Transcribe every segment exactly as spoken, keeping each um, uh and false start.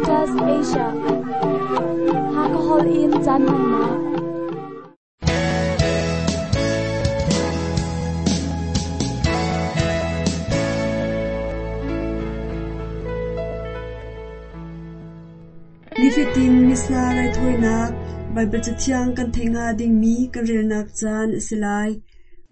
Adventist Asia. Hakahol in caan hmannak. Nifatin Missa raithawinak Baibal Cathiang kan theih hnga dingmi kan relnak caan a si lai.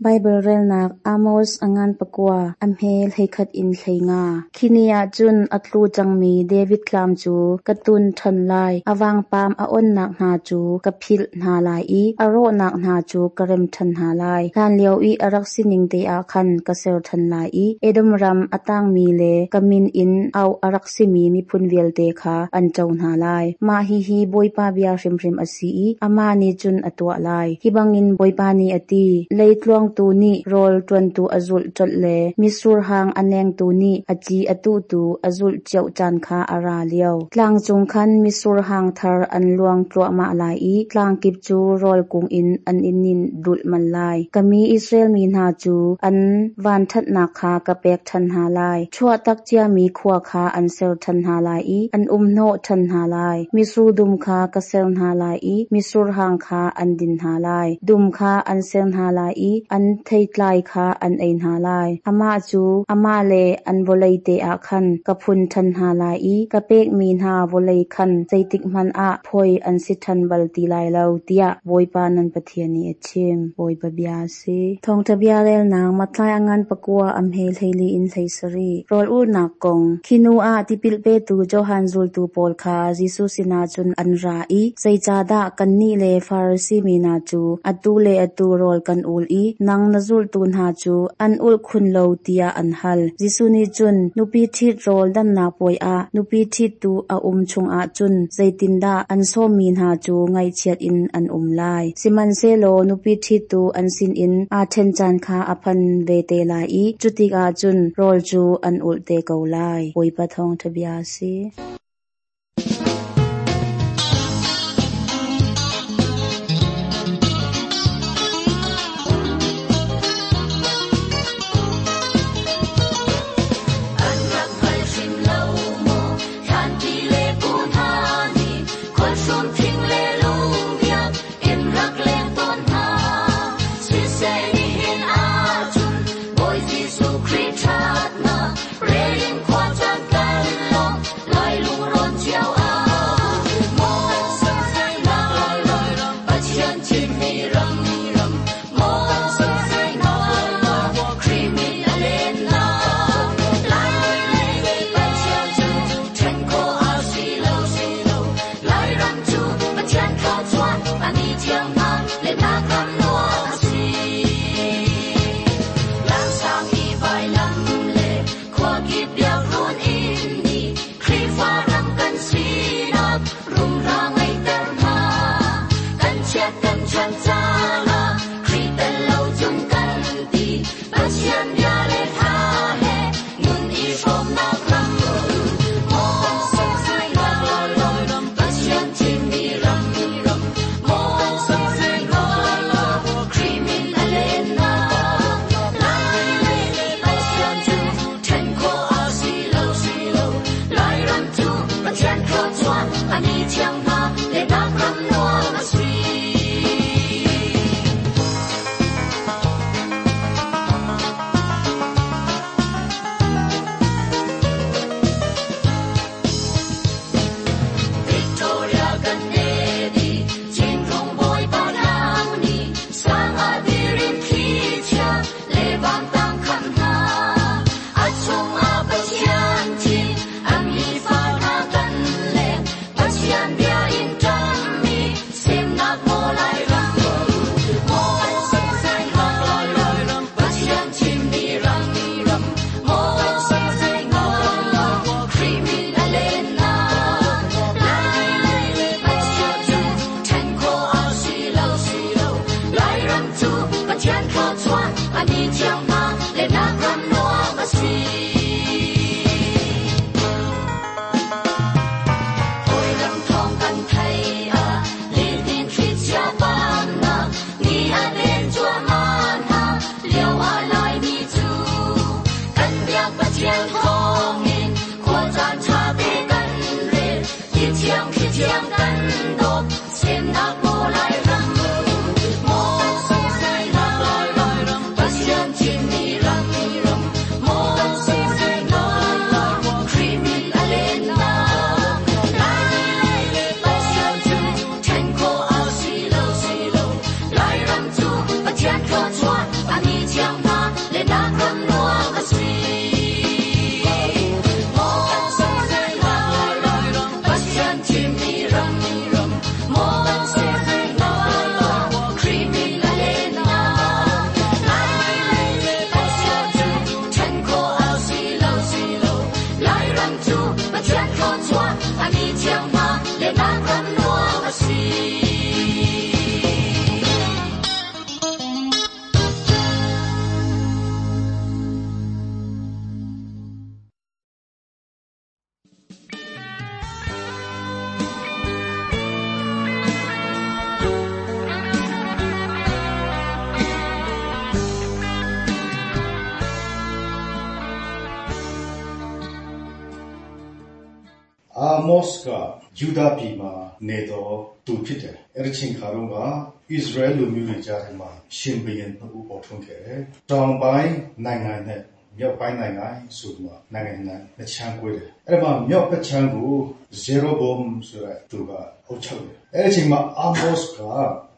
Baibal relnak Amos a ngan pakua a hme hleikhat in hlei nga. Khi ni ah cun a tlu cangmi David tlam cu ka tun ṭhan lai. A vangpam a onnak hna cu ka philh hna lai i a rawhnak hna cu ka rem ṭhan hna lai. Hlanlio i a rak sining te ah khan ka ser ṭhan lai i Edom ram a tangmi le ka min in auh a rak simi miphun vialte kha an co hna lai. Mah hihi Bawipa bia hrimhrim a si i amah nih cun a tuah lai. Hi bangin Bawipa nih a ti, leitluang tu nih rawl ṭuantu a zulh colh le mitsur hang a nengtu nih a ci a tuhtu a zulh cio caan kha a ra lio. Tlang cung khan mitsur hang thar an luang tluahmah lai i tlang kip cu rawl kung in an i nin dulhmal lai. Ka mi Israel mi hna cu an vanṭhatnak kha ka pek ṭhan hna lai. Chuahtak ciami khua kha an ser ṭhan hna lai i an umhnawh ṭhan hna lai. Mitsur dum kha ka ser hna lai i mitsur hang kha an din hna lai. Dum kha an ser hna lai i an theitlai kha an ei hna lai. Amah cu amah le an vawlei te ah khan ka phun ṭhan hna lai i ka pekmi hna vawlei khan zeitik hmanh ah phawi an si ṭhan bal ti lai lo, tiah Bawipa nan Pathian nih a chim. Bawipa bia a si. Thawngṭha bia relnak Matthai a ngan pakua a hme hleili in hlei sarih. Rawl ulhnak kong. Khi hnu ah tipil petu Johan zultu pawl kha Jesuh sinah cun an ra i, zeicahdah kannih le Farasi mi hna cu atu le atu rawl kan ul i nang na zultu hna cu an ulh khun lo tiah an hal. Jesuh nih cun nupi ṭhit rawl dannak puai ah nupi ṭhittu a um chungah cun zeitindah an sawmmi hna cu ngaihchiat in an um lai. Sihmanhsehlaw nupi ṭhittu an sinin aa ṭhen caan kha a phan ve te lai i cutikah cun rawl cu an ulh te ko lai. Bawipa thawngṭha bia a si. An rak hngal hrim lo maw thlanti le pu hna nih khualhrum thing le lungbiak in rak leng tawn hna. Siseh nihin ahcun Bawi Jesuh Khrih ṭhatnak rel in khua caan kan lawng lai lungrawn cio ah. Maw kan sunghnak ram Pathian thimmi ram ram maw kan sunghnak ram Khrih min a lennak Lai lei Pathian cu ṭhen khawh a si lo si lo Lairam cu Pathian thluachuah a mi thiang hna lennak ram nuam a si. Langsang i vailam le khua kip biakruun inn nih Khrihfa ram kan sinak rumra ngeihter hna. Kan chiat kan chan caan ah Khrih tel lo cun kan ti Pathian bia le hla he nun i hrawmnak ram. Maw kan sunghnak ram Pathian thimmi ram ram maw kan sunghnak ram Khrih min a lennak Lai lei Pathian cu ṭhen khawh a si lo si lo Lairam cu Pathian thluachuah a mi thiang hna lennak ram nuam a si. Victoria kan nedi Chinrung Bawipa nang nih sang ah dirin thlichia le vantang khan hna. A chungah Pathian thim a mi fa hna kan leng Pathian bia thiang kan dawt semnak maw Lairam maw semnak Lairam Pathian thimmi ram maw semnak Khrih min a lennak Laimi le Pathian cu ṭhen khawh a si lo si lo Lairam cu Pathian thluachuah a mi thiang hna lennak ram nuam a si. Maw semnak Lairam Pathian thimmi ram maw semnak Khrih min a lennak Laimi le Pathian cu ṭhen khawh a si lo si lo Lairam cu Pathian thluachuah a mi thiang hna lennak ram nuam a si. အာမော့စ်က ယုဒပြည်မှာနေသောသူဖြစ်တယ်။အဲဒီချိန်ခါတုန်းက ဣသရေလလူမျိုးတွေကြားထဲမှာ ရှင်ဘုရင်နှစ်ဦးပေါ်ထွန်းခဲ့တယ်။တောင်ပိုင်းနိုင်ငံနဲ့မြောက်ပိုင်းနိုင်ငံဆိုပြီးမှ နိုင်ငံနှစ်ခြမ်းကွဲတယ်။အဲဒီမှာ မြောက်ဘက်ခြမ်းကို ယေရောဗောင်ဆိုတဲ့သူကအုပ်ချုပ်တယ်။အဲဒီအချိန်မှာ အာမော့စ်က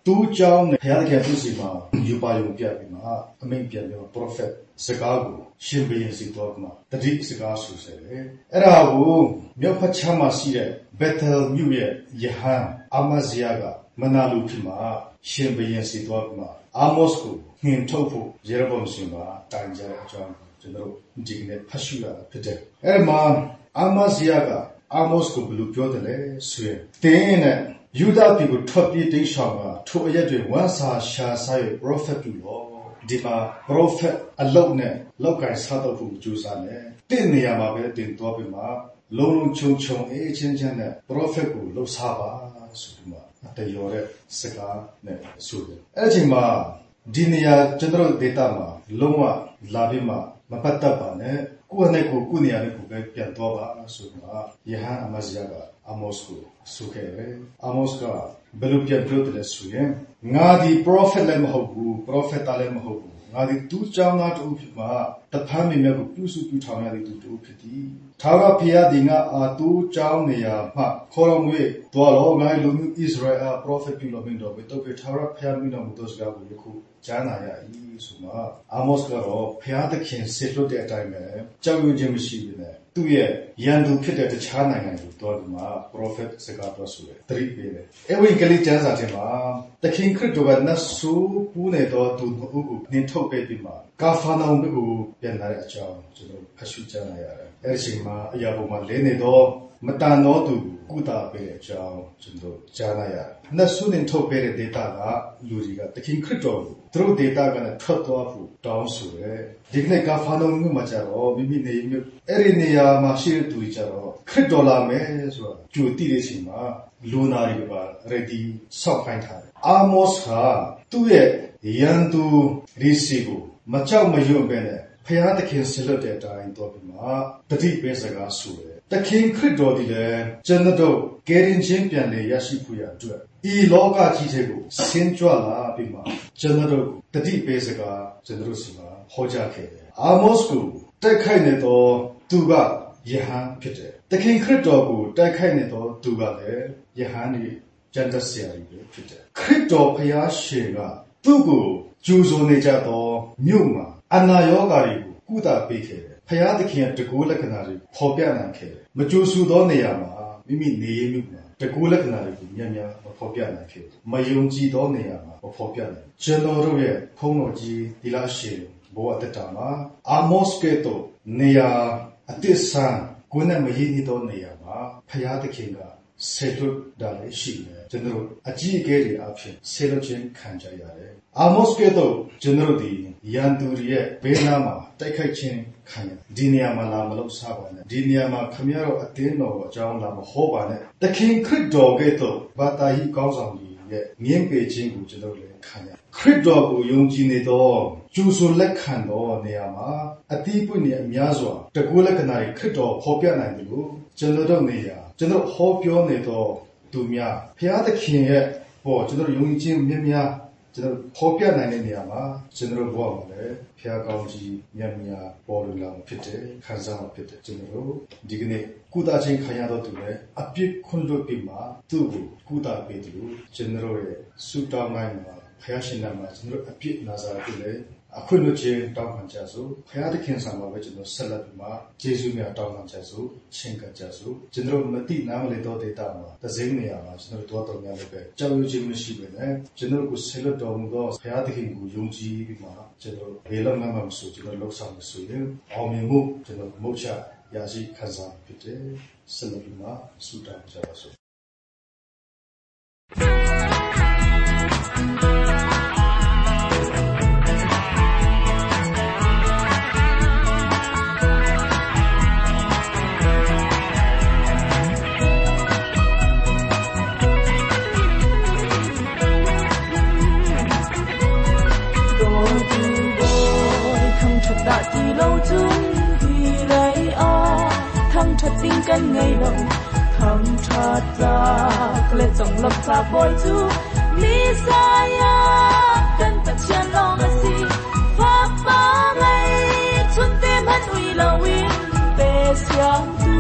သိုးကျောင်းနဲ့ ဘုရားသခင်သူ့ဆီမှာ ရူပါရုံပြပြီးမှ အမိန့်ပြန်ပြီးမှ ပရောဖက်စကားကို ရှင်ဘုရင်ဆီသွားပြီးမှ သတိစကားဆိုစေတယ်။အဲဒါကို မြောက်ဘက်ခြမ်းမှာရှိတဲ့ ဘက်သလ်မြို့ရဲ့ရဟန်း အာမဇိယက မနာလိုဖြစ်မှ ရှင်ဘုရင်ဆီသွားပြီးမှ အာမော့စ်ကို နှင်ထုတ်ဖို့ ယေရောဗောင်ဆီမှာ တိုင်ကြတဲ့အကြောင်းကို ကျွန်တော်တို့ ဒီကနေ့ဖတ်ရှုရတာဖြစ်တယ်။အဲဒီမှာ အာမဇိယက အာမော့စ်ကို ဘယ်လိုပြောတယ်လဲဆိုရင် သင်နဲ့ ယုဒပြည်ကို ထွက်ပြေးတိမ်းရှောင်ကာ ထိုအရပ်တွင် ဝမ်းစာရှာစား၍ပရောဖက်ပြုလော့။ဒီမှာ ပရောဖက်အလုပ်နဲ့ လုပ်ကိုင်စားသောက်ဖို့ မကြိုးစားနဲ့။သင့်နေရာမှာပဲ သင်သွားပြီးမှ လုံးလုံးခြုံခြုံအေးအေးချမ်းချမ်းနဲ့ ပရောဖက်ကို လုပ်စားပါဆိုပြီးမှ သရော်တဲ့စကားနဲ့ဆိုတယ်။အဲဒီအချိန်မှာ ဒီနေရာ ကျွန်တော်တို့ဒေသမှာ လုံးဝလာပြီးမှ မပတ်သက်ပါနဲ့။ကိုယ့်ဟာနဲ့ကိုယ် ကိုယ့်နေရာနဲ့ကိုယ်ပဲ ပြန်သွားပါဆိုပြီးမှ ရဟန်းအာမဇိယက အာမော့စ်ကို ဆိုခဲ့တယ်။အာမော့စ်က ဘယ်လိုပြန်ပြောတယ်လဲဆိုရင် ငါသည် ပရောဖက်လည်းမဟုတ်ဘူး၊ပရောဖက်သားလည်းမဟုတ်ဘူး။ငါသည် သိုးကျောင်းသားတဦးဖြစ်မှ သဖန်းပင်များကို ပြုစုပျိုးထောင်ရသည့်သူတဦးဖြစ်သည်။ထာဝရဘုရားသည် ငါ့အား သိုးကျောင်းနေရာမှ ခေါ်တော်မူ၍သွားလော့၊ငါ၏လူမျိုးဣသရေလအား ပရောဖက်ပြုလော့မိန့်တော်မူ၏။သို့ဖြစ်၍ထာဝရဘုရားမိန့်တော်မူသောစကားကို ယခုကြားနာရ၏ဆိုမှ အာမော့စ်ကတော့ ဘုရားသခင်စေလွှတ်တဲ့အတိုင်းပဲ ကြောက်ရွံ့ခြင်းမရှိဘဲနဲ့ သူ့ရဲ့ရန်သူဖြစ်တဲ့ တခြားနိုင်ငံကိုသွားပြီးမှ ပရောဖက်စကားပြောဆိုတယ်၊သတိပေးတယ်။ဧဝံဂေလိကျမ်းစာထဲမှာ သခင်ခရစ်တော်က နတ်ဆိုးပူးနေသောသူနှစ်ဦးကို နှင်ထုတ်ပေးပြီးမှ ကာဖာနာဟုမြို့ကို ပြန်လာတဲ့အကြောင်း ကျွန်တော်ဖတ်ရှုကြားနာရတယ်။အဲဒီအချိန်မှာ အရာပေါ်မှာလဲနေသော မသန်သောသူကို ကုသပေးတဲ့အကြောင်း ကျွန်တော်ကြားနာရတယ်။နတ်ဆိုးနှင်ထုတ်ပေးတဲ့ဒေသကလူတွေက သခင်ခရစ်တော်ကို သူတို့ဒေသကနေ ထွက်သွားဖို့ တောင်းဆိုတယ်။ဒီကနေ့ ကာဖာနာဟုမြို့မှာကျတော့ မိမိနေမြို့ အဲဒီနေရာမှာရှိတဲ့သူတွေကျတော့ ခရစ်တော်လာမယ်ဆိုတာ ကြိုသိတဲ့အချိန်မှာ လူနာတွေပါ ready စောင့်ခိုင်းထားတယ်။အာမော့စ်က သူ့ရဲ့ရန်သူတွေဆီကို မကြောက်မရွံ့ပဲနဲ့ ဘုရားသခင်စေလွှတ်တဲ့အတိုင်းသွားပြီးမှ သတိပေးစကားဆိုတယ်။သခင်ခရစ်တော်သည်လည်း ကျွန်ုပ်တို့ ကယ်တင်ခြင်းပြန်လည်ရရှိဖို့ရာအတွက် ဤလောကကြီးထဲကို ဆင်းကြွလာပြီးမှ ကျွန်ုပ်တို့ကို သတိပေးစကား ကျွန်တော်တို့ဆီမှာ ဟောကြားခဲ့တယ်။အာမော့စ်ကို တိုက်ခိုက်နေသောသူက ရဟန်းဖြစ်တယ်။သခင်ခရစ်တော်ကို တိုက်ခိုက်နေသောသူကလည်း ရဟန်းတွေ ကျမ်းတတ်ဆရာတွေပဲဖြစ်တယ်။ခရစ်တော်ဘုရားရှင်က သူ့ကိုကြိုဆိုနေကြသောမြို့မှာ အနာရောဂါတွေကို ကုသပေးခဲ့တယ်။ဘုရားသခင်ရဲ့တန်ခိုးလက္ခဏာတွေဖော်ပြနိုင်ခဲ့တယ်။မကြိုဆိုသောနေရာမှာ မိမိနေရင်းမြို့မှာ တန်ခိုးလက္ခဏာတွေကို များများမဖော်ပြနိုင်ခဲ့ဘူး။မယုံကြည်သောနေရာမှာ မဖော်ပြနိုင်ဘူး။ကျွန်တော်တို့ရဲ့ ဘုန်းတော်ကြီးသီလရှင်ဘဝတက်တာမှာ အာမော့စ်ကဲ့သို့ နေရာအသစ်ဆန်း ကိုယ်နဲ့မရင်းနှီးသောနေရာမှာ ဘုရားသခင်က စေလွှတ်တာလည်းရှိတယ်။ကျွန်တော်တို့ အကြီးအကဲတွေအဖြစ် စေလွှတ်ခြင်းခံကြရတယ်။အာမော့စ်ကဲ့သို့ ကျွန်တော်တို့ဒီရန်သူတွေရဲ့ဘေးနားမှာ တိုက်ခိုက်ခြင်းခံရတယ်။ဒီနေရာမှာ လာမလုပ်စားပါနဲ့။ဒီနေရာမှာ ခင်ဗျားတို့အသင်းတော်အကြောင်းလာမဟောပါနဲ့။သခင်ခရစ်တော်ကဲ့သို့ ဘာသာရေးခေါင်းဆောင်တွေရဲ့ ငြင်းပယ်ခြင်းကို ကျွန်တော်တို့လည်းခံရတယ်။ခရစ်တော်ကို ယုံကြည်နေသော ကြိုဆိုလက်ခံသောနေရာမှာ အသီးပွင့်တွေအများစွာ တန်ခိုးလက္ခဏာတွေ ခရစ်တော်ဖော်ပြနိုင်သလို ကျွန်တော်တို့နေရာ ကျွန်တော်ဟောပြောနေသော သူများဘုရားသခင်ရဲ့ပေါ်ကျွန်တော်ယုံကြည်ခြင်းမြတ်များကျွန်တော်ဖော်ပြနိုင်တဲ့နေရာမှာကျွန်တော်ဘဝမှာလည်းဘုရားကောင်းကြီးမြတ်များပေါ်လွင်လာဖြစ်တယ်ခံစားမှာဖြစ်တယ်ကျွန်တော်တို့ဒီကနေ့ကုသခြင်းခံရတော့သူလည်းအပြစ်ခွင့်လွှတ်ပြီးမှသူ့ကိုကုသပေးတယ်လို့ကျွန်တော်ရဲ့ဆုတောင်းတိုင်းမှာဘုရားရှင်နာမှာကျွန်တော်အပြစ်နာစာပြုလေအခွင့်လွှတ်ခြင်းတောင်းခံကြစို့ဘုရားသခင်ဆောင်မှာပဲကျွန်တော်ဆက်လက်ပြီးမှယေရှုမြတ်တောင်းခံကြစို့ချင်းကပ်ကြစို့ကျွန်တော်မတိနားမလည်တော့ဒေတာမှာတစိမ့်နေရာမှာကျွန်တော်တော်တော်များလည်းပဲကြောက်ရွံ့ခြင်းမရှိပဲနဲ့ကျွန်တော်ကိုဆက်လက်တော်မူသောဘုရားသခင်ကိုယုံကြည်ပြီးမှကျွန်တော်ဘယ်လောက်မှမဆိုကျွန်တော်လှုပ်ဆောင်မဆိုရင်အောင်မြင်မှုကျွန်တော်မုတ်ချရရှိခံစားဖြစ်တယ်ဆက်လက်ပြီးမှဆုတောင်းကြပါစို့ กันไงลงทำชาจากและจงลบจากบอยจูมีสายกันตะเชียนลองสิฟ้าฟ้าไงชุนเต็มหันอุยลาวินเตเสียงตู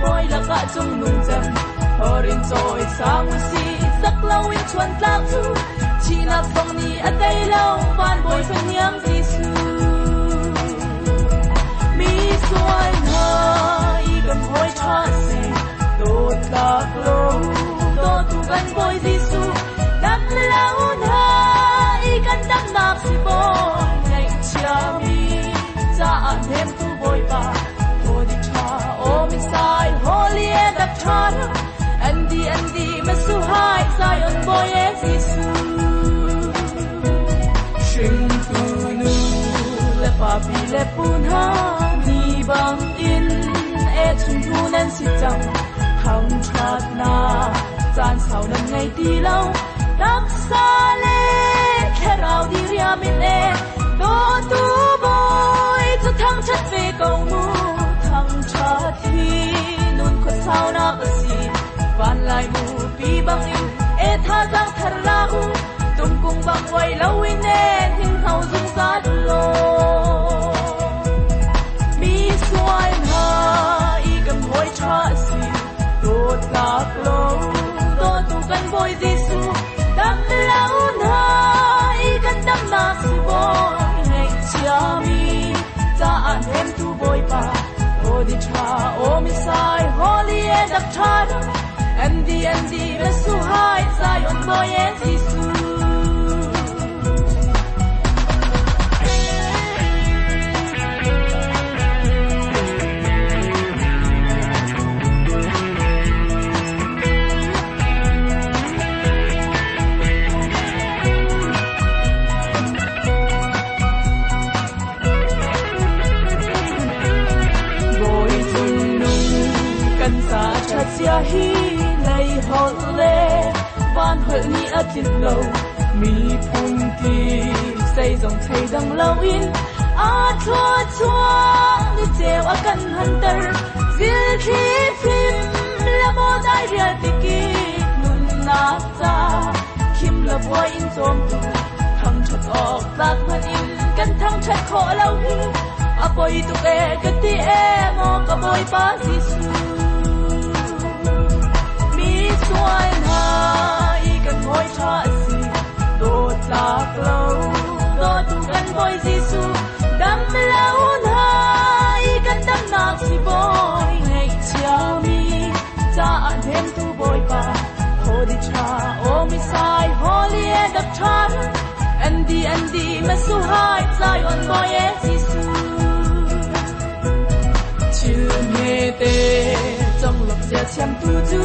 บอยละกะจงนุ่งจำฮอรินจอยสามสีสักลาวินชวนตลากจูชีนักฟงนี้อเตยเล่าบ้านบอยเป็นยังจีสูมีสวยหากันหอยชาสิโดดตากโลโดตุกันบอยสิสูดำเลาหาอีกันดำนักสิบอยในเชียมีจะอ่านเห็นตูบอยปาโฮดิชาโอมิสายโฮลีเอดับชาร์อันดีอันดีมาสุหายไซออนบอยเอสิสูชิงตูนูและปาปีและปูนหามีบังอินชุนทูนั้นสิจังทำชาตินาจานเสานั้นไงตีเล่าดักซาเลแค่เราดีเรียมินเอโตตูบอยจะทั้งชัดเวเกามูทั้งชาตินุ่นขดเสานักสีวันลายมูปีบังอินเอท่าจังทาราอูตุงกุงบังไว้เลวินเอหิงเฮาซุงซาดุโลมีสวยหาชาสิโดดลากโลโดตุกันบอยดิสูดำเลาหาอีกันดำนักสิบอยในเชียมีจะอ่านเห็นตูบอยปาโอดิชาโอมิสายฮอลีเอดักชาร์อันดีอันดีเมสุหายไซออนบอยเอซิสูฮีในฮอลเลบ้านหลนี้อาทิตย์โลมีพุนกีใส่จงไทยดังเลาอินอาทัวทัวนี่เจวกันฮันเตอร์ซิลทีฟิมละโมได้เรียติกีนุนนาจาคิมละบัวอินจอมตูทั้งชัดออกตากพันอินกันทั้งชัดขอเล่าฮีอปอยตุเอกติเอโมกบอยปาซิสูสวยหายกันหอยชาสิโดดลากโลโดตุกันบอยสิสูดำเลาหายกันดำนักสิบอยในเชียมีจะอ่านเห็นตูบอยปาโฮดิชาโอมิสายโฮลีเอดับชาร์อันดีอันดีมาสุหายไซออนบอยเอสิสูชิลเมเตจงหลบเสียเชียมตูจู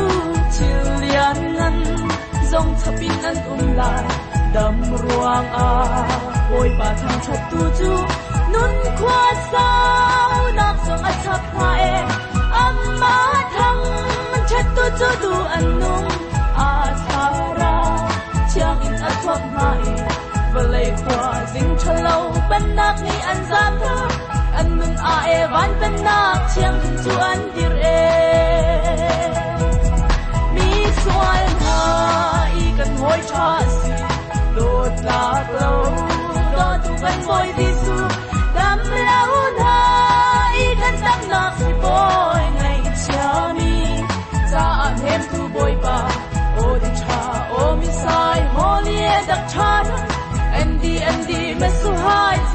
ชิลเลียนนั้นจงทับอินอันอุ้มลายดำรวงอาโอยป่าทางชัดตูจูนุนควาสาวนักสงอัชับมาเออัมมาทังชัดตูจูดูอันนุ่งอาทาราเชียงอินอัทวกมาเอเวเลยควาสิงชะเลาเป็นนักนี้อันซาทาอันนุ่นอาเอวันเป็นนักเชียงขึ้นจูอันดิเรมีสวย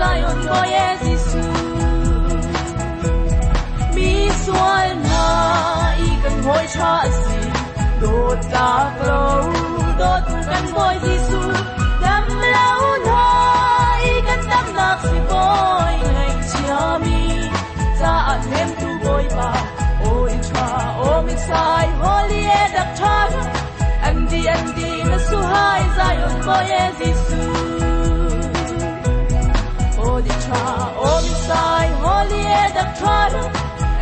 Zion boy Jesu Mi sual na i kan hoi cha si dot tlak lo dot kan boy Jesu dam lo na i kan dam nak si boy ngai chia mi cha nem tu boy pa oi cha o mi sai holy e dak cha andi andi na su hai Zion boy Jesu Holy cha o mi sai holy e dak cha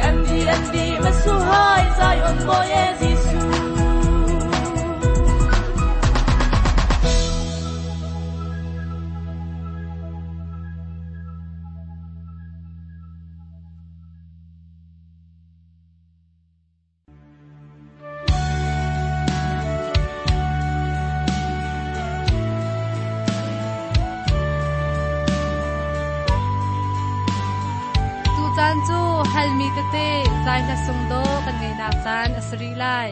andi andi na su hai Zion boy Jesu Caan cu halmi tete zai hla sung do kan ngei nak caan a sari lai.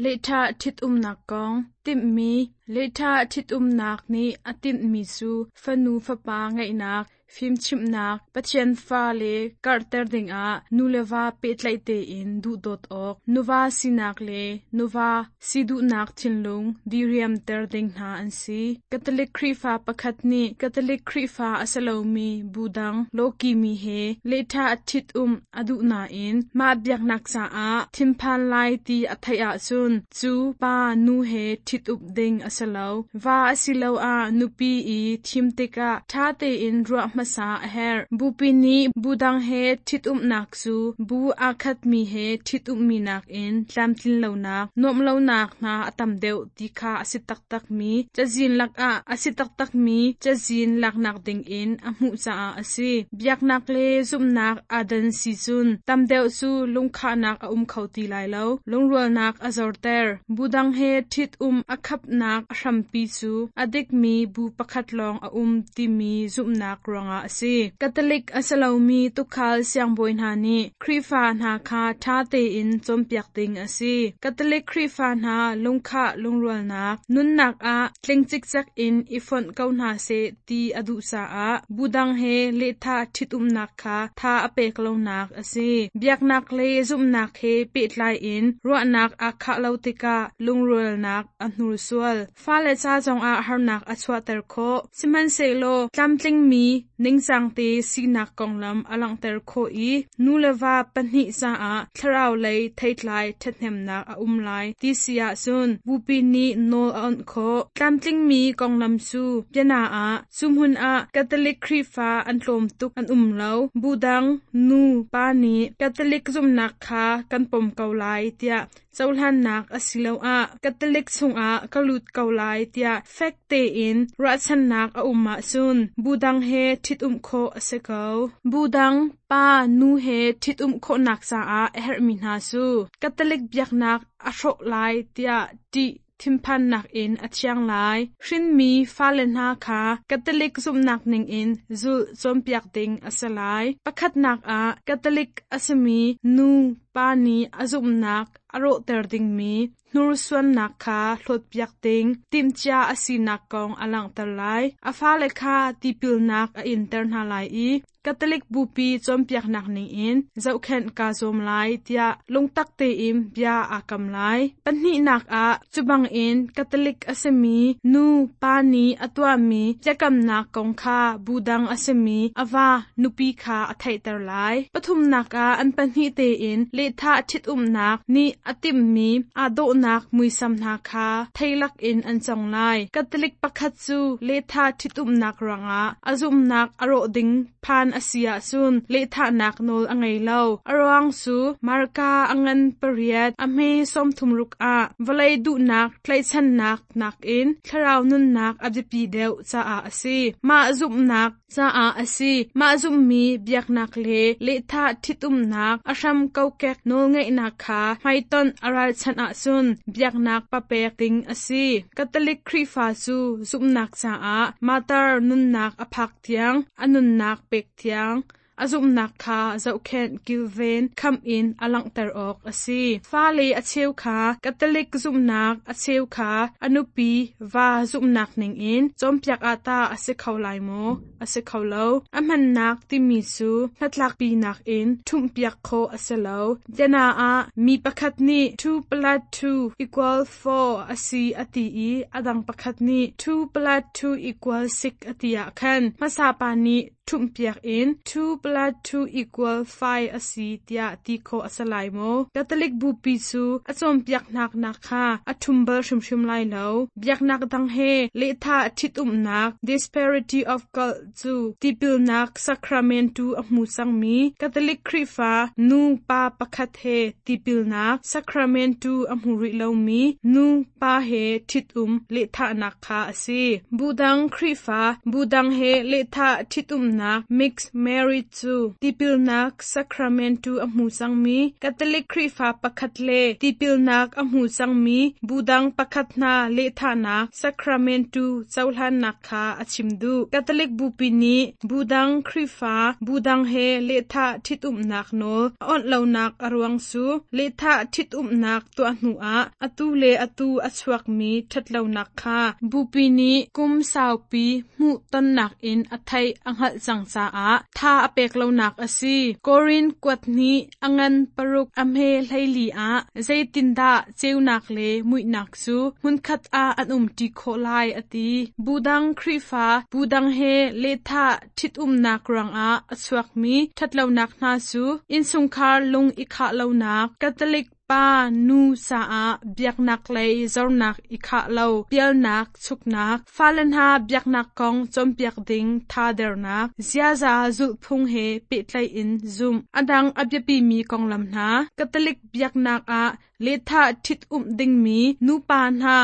Lehtha thit umnak kong timmi lehtha thit umnak nih a tinhmi cu fanu fapa ngeihnak fimchimhnak Pathian fa le karhter dingah nu le va pehtlaih tein duhdawt awk nuva sinak le nuva si duhnak thinlung diriamter ding hna an si. Catholic Khrihfa pakhat nih Catholic Khrihfa a si lomi bu dang lawkimi he lehtha thit um a duh nain mah biaknak caah thinphan lai ti a theih ahcun cu pa nu he thit up ding a si lo. Va asiloah nupi i thim tikah ṭha tein ruah hmasa a herh. Bupi nih bu dang he thit umnak cu bu aa khatmi he thit ummi nakin tlamtlin lonak, nuamh lonak hna a tam deuh ti kha a si taktakmi cazin lakah a si taktakmi cazin laknak dingin a hmuh caah a si. Biaknak le zumhnak aa dan si cun tam deuh cu lungkhahnak a um kho ti lai lo. Lungrualnak a zorter. Bu dang he thit um a khapnak a hrampi cu a dikmi bu pakhat lawng a um timi zumhnak ruangah a si. Catholic a si lomi tuukhal siangbawi hna nih Khrihfa hna kha ṭha tein cawnpiak ding a si. Catholic Khrihfa hna lungkhah lungrualnak nunnak ah tling cikcek in i fonh ko hna seh ti a duh caah bu dang he lehtha ṭhitumnak kha tha a pek lonak a si. Biaknak le zumhnak he pehtlai in ruahnak aa khah lo tikah lungrualnak a hnursual. Fale ca zongah harnak a chuahter khawh. Sihmanhsehlaw tlamtlingmi ningcang te sinak konglam a langhter khawh i nu le va pahnih caah thlarau lei theitlai ṭhathnemnak a um lai ti si ahcun bupi nih nawl a awnh khawh. Tlamtlingmi konglam cu biana ah cu hmun ah Catholic Khrihfa an tlawm tuk an um lo. Bu dang nu pa nih Catholic zumhnak kha kan pom ko lai tiah cohlannak asiloah Catholic chungah ka lut ko lai tiah fek tein ruahchannak a um ahcun bu dang he ṭhit-umh khawh a si ko. Bu dang pa nu he ṭhit-umh khawhnak caah a herhmi hna cu Catholic biaknak a hrawh lai tiah ṭih thinphannak in a thiang lai. Hrinmi fale hna kha Catholic zumhnak ningin zulh cawnpiak ding a si lai. Pakhatnak ah Catholic a simi nu pa nih a zumhnak a rawhter dingmi hnursuannak kha hlawtpiak ding timhcia a sinak kong a langhter lai. A fale kha tipilnak a inter hna lai i Catholic bupi cawnpiaknak ningin zohkhenh kaa zuam lai tiah lungtak tein bia aa kam lai. Pahnihnak ah cu bangin Catholic a simi nu pa nih a tuahmi biakamnak kong kha bu dang a simi a va nupi kha a theihter lai. Pathumnak ah an pahnih tein lehthah ṭhitumnak nih a timhmi aa dawhnak muisam hna kha theilak in an cong lai. Catholic pakhat cu lehthah ṭhitumnak ruangah a zumhnak a rawh ding phan a si ahcun lehthahnak nawl a ngei lo. A ruang cu Marka a ngan pariat a hme sawmthum ruk ah vawlei duhnak tlaihchannak nakin thlarau nunnak a biapi deuh caah a si. Mah zumhnak caah a si. Mah zumhmi biaknak le lehthah ṭhitumnak a hram kokek nawlngeihnak kha hmaitonh a ralchanh ahcun biaknak papek ding a si. Catholic Khrihfa cu zumhnak caah martyr nunnak a phak tiang a nunnak pek tiang A zumhnak kha zohkhenh kilven khamh in a langhter awk a si. Fale a cheu kha Catholic zumhnak, a cheu kha a nupi va zumhnak ningin cawnpiak ah tah a si kho lai maw? A si kho lo. A hmannak timi cu hnatlakpinak in ṭhumhpiak khawh a si lo. Biana ah mi pakhat nih two plus two equal four a si a ti i a dang pakhat nih two plus two equal six a ti ah khan hmasa pa nih ṭhumhpiak in two plus two equal five a si tiah ti khawh a si lai maw? Catholic bupi cu a cawnpiaknak nak kha a ṭhum bal hrimhrim lai lo. Biaknak dang he lehthah ṭhitumnak disparity of cult cu tipilnak sacrament tu a hmu cangmi Catholic Khrihfa nu pa pakhat he tipilnak sacrament tu a hmu rih lomi nu pa he ṭhitum lehthahnak kha a si. Budang Khrihfa budang he lehthah ṭhitumnak mixed marriage cu tipilnak sacrament tu a hmu cangmi Catholic Khrihfa pakhat le tipilnak a hmu cangmi budang pakhat hna lehthahnak sacrament tu cohlannak kha a chim duh. Catholic bupi nih budang Khrihfa budang he lehthah ṭhitumnak nawl a awnh lonak a ruang cu lehthah ṭhitumnak tuah hnuah atu le atu a chuakmi ṭhatlonak kha bupi nih kum saupi hmuh tonnak in a theih a hngalh cang caah tha a pek lonak a si. Korin kuat hnih a ngan paruk a hme hleili ah zeitindah ceunak le muihnak cu hmunkhat ah an umṭi khawh lai a ti. Budang Khrihfa budang he lehthah ṭhitumnak ruangah a chuakmi ṭhatlonak hna cu innchungkhar lung i khah lonak, Catholic pa nu caah biaknak lei zornak i khah lo, pialnak chuknak, fale hna biaknak kong cawnpiak ding thadernak, ziaza zulhphung he pehtlaih in zumh. A dang a biapimi konglam hna, Catholic biaknak ah lehthah ṭhit-umh dingmi nupa hna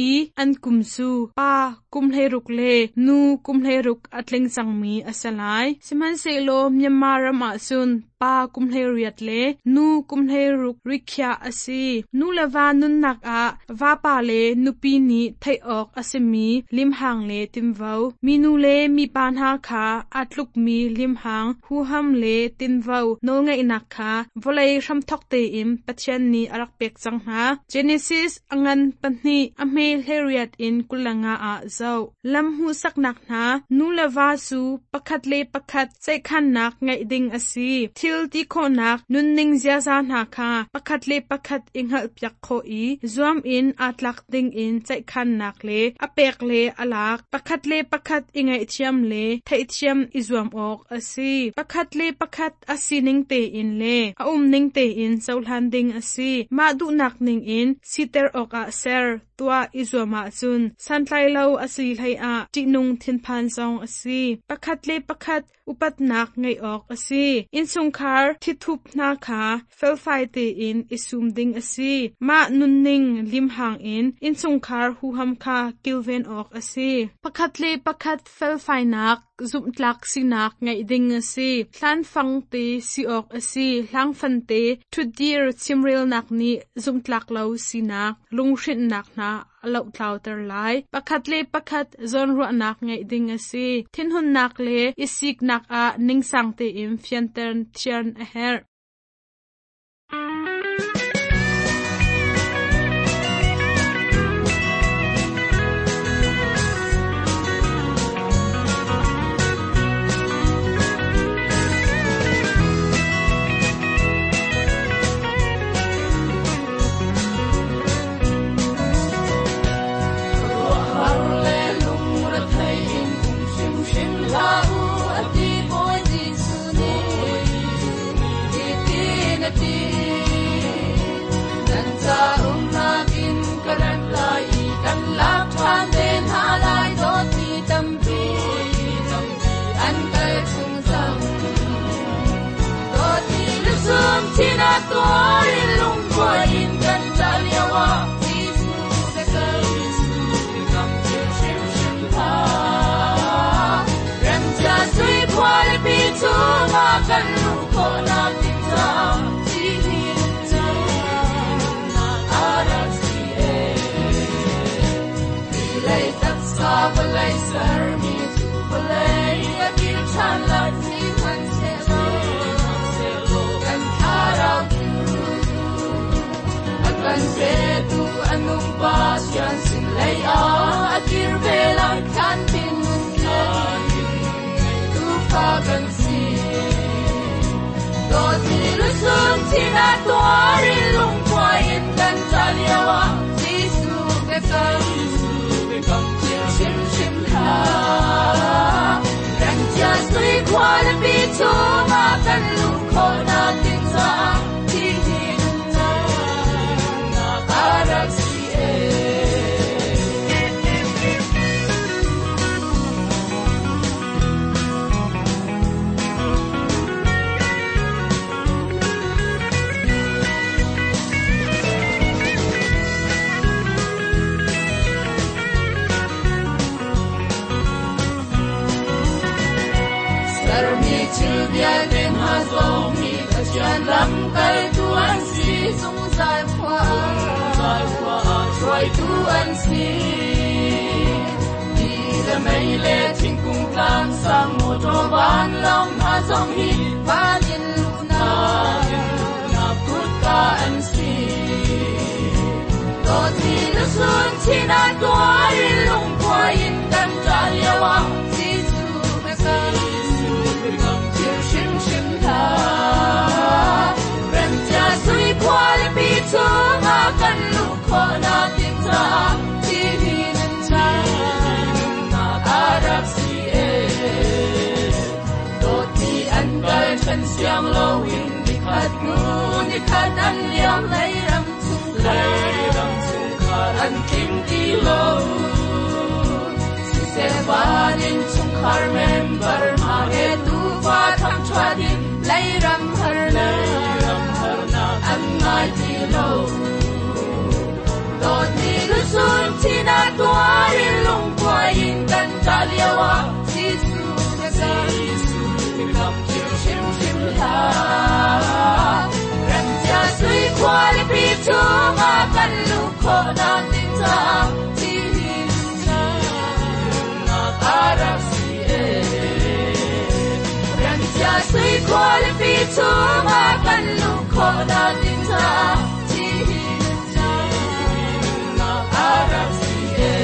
i an kum cu pa kum hleiruk le nu kum hleiruk a tling cangmi a si lai. Sihmanhsehlaw Myanmar ram ahcun pa kum hleiriat le nu kum hleiruk rikhiah a si. Nu le va nunnak ah vapa le nupi nih theih awk a simi limhang le tinvo. Minu le mipa hna kha aa tlukmi limhang, huham le tinvo nawlngeihnak kha vawlei hramthok tein Pathian nih a rak pek cang hna. Genesis a ngan pahnih a hme hleiriat in kul le nga ah zoh. Lam hmuhsaknak hna, nu le va cu pakhat le pakhat ceihkhannak ngeih ding a si. Thil ti khawhnak, nunning ziaza hna kha pakhat le pakhat i hngalhpiak khawh i zuam in aa tlak ding in ceihkhannak le a pek le a lak, pakhat le pakhat i ngaihthiam le theihthiam i zuam awk a si. Pakhat le pakhat a sining tein le a umning tein cohlan ding a si. Mah duhnak ning in siter awkah ser tuah i zuam ahcun santlai lo a si hlei ah ṭihnung thinphan zong a si. Pakhat le pakhat upatnak ngeih awk a si. Innchungkhar thithup hna kha felfai tein i sum ding a si. Mah nunning limhang in innchungkhar huham kha kilven awk a si. Pakhat le pakhat felfainak, zumhtlak sinak ngeih ding a si. Hlanfang te si awk a si. Hlangfan te ṭhutdir chimrelnak nih zumhtlak lo sinak, lunghrinnak hna a lohtlauter lai. Pakhat le pakhat zawnruahnak ngeih ding a si. Thinhunnak le i siknak ah ningsang tein fianter thian a herh. Vawlei sermi cu vawlei a kir ṭhan lai si hmanhsehlaw Pathian sin lei ah a kir ve lai thlan tin tufa kan si dawtmi lusun thina tuarin lungkuai in kan ṭah lioah Jesuh biakam biakam thil hrimhrim hlah. Remcia sui khualipi chungah kan luh khawhnak ding caah thi hi nunnak a rak si ee. Sermi thil vialte hna zong hi Pathian lamkaltu an si, zungzal khua zungzal khua ah hruaitu an si. Ti le mei le thingkung tlang sang motor vanlawng hna zong hi van in luhnak luhnak kutka an si. Dawtmi lusun thina tuarin lungkuai in kan ṭah lioah Jesuh biakam biakam thil hrimhrim hlah. Remcia sui khualipi chungah kan luh khawhnak ding caah thi hi nunnak a rak si ee. Dawtmi an kal ṭhen siang loin nikhat hnu nikhat an liam lei ram chungkhar ram chungkhar an tling ti lo. Siseh van in chungkhar member hna he tufa thangṭhat in lei ram harnak ram harnak an ngai ti lo. Dawtmi lusun thina tuarin lungkuai in kan ṭah lioah Jesuh biakam Jesuh biakam thil hrimhrim hlah. Remcia sui khualipi chungah kan luh khawhnak ding caah thi hi nunnak a rak si ee. Remcia sui khualipi chungah kan luh khawhnak ding caah thi hi nunnak a rak si ee.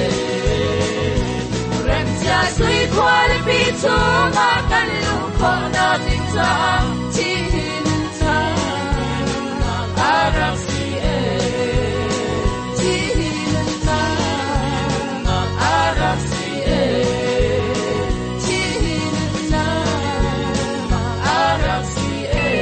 Remcia sui khualipi chungah kan luh khawhnak ding caah thi hi nunnak a rak si ee. Thi hi nunnak a rak si ee. Thi hi nunnak a rak si ee.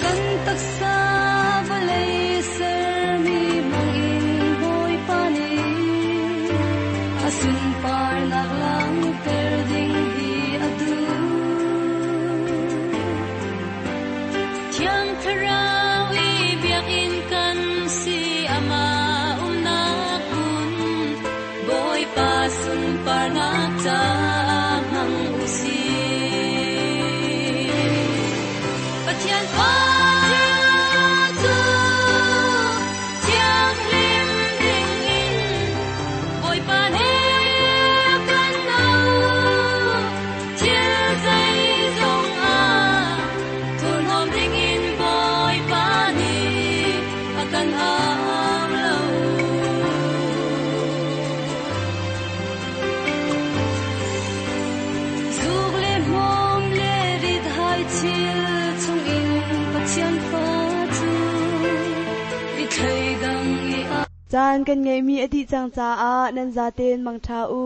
Kan taksa vawlei sermi hmangin Bawipa nih a sunparnak langhter ding hi a duh. Thiang Thlarau i biakinn kan si amah umnak hmun, Bawipa sunparnak caah hmang u sih. Pathian fa cu thianghlim dingin Bawipa nih kan auh. Thil zeizong ah thurhnawm dingin Bawipa nih a kan au lo. Zuk le hmawm le rit hai thil chungin Pathian fa cu i thleidang i a Caan kan ngeihmi a dih cang caah nan zaten mangṭha u.